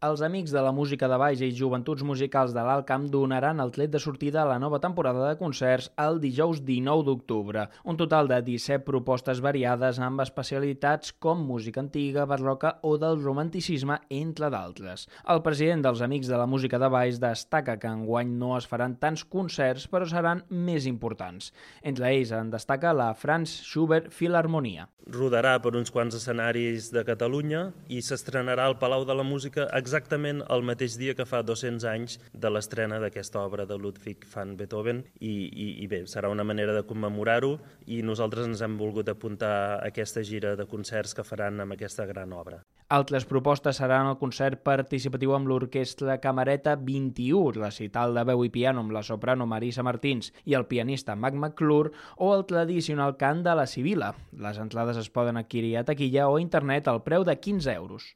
Els Amics de la Música de Baix i Joventuts Musicals de l'Alt Camp donaran el tret de sortida a la nova temporada de concerts el dijous 19 d'octubre. Un total de 17 propostes variades amb especialitats com música antiga, barroca o del romanticisme, entre d'altres. El president dels Amics de la Música de Baix destaca que enguany no es faran tants concerts, però seran més importants. Entre ells en destaca la Franz Schubert Filharmonia. Rodarà per uns quants escenaris de Catalunya i s'estrenarà al Palau de la Música exactament el mateix dia que fa 200 anys de l'estrena d'aquesta obra de Ludwig van Beethoven i bé, serà una manera de commemorar-ho i nosaltres ens hem volgut apuntar a aquesta gira de concerts que faran amb aquesta gran obra. Altres propostes seran el concert participatiu amb l'Orquestra Camereta 21, recital de veu i piano amb la soprano Marisa Martins i el pianista Mac McClure o el tradicional cant de la Sibila. Les entrades es poden adquirir a taquilla o a internet al preu de 15 euros.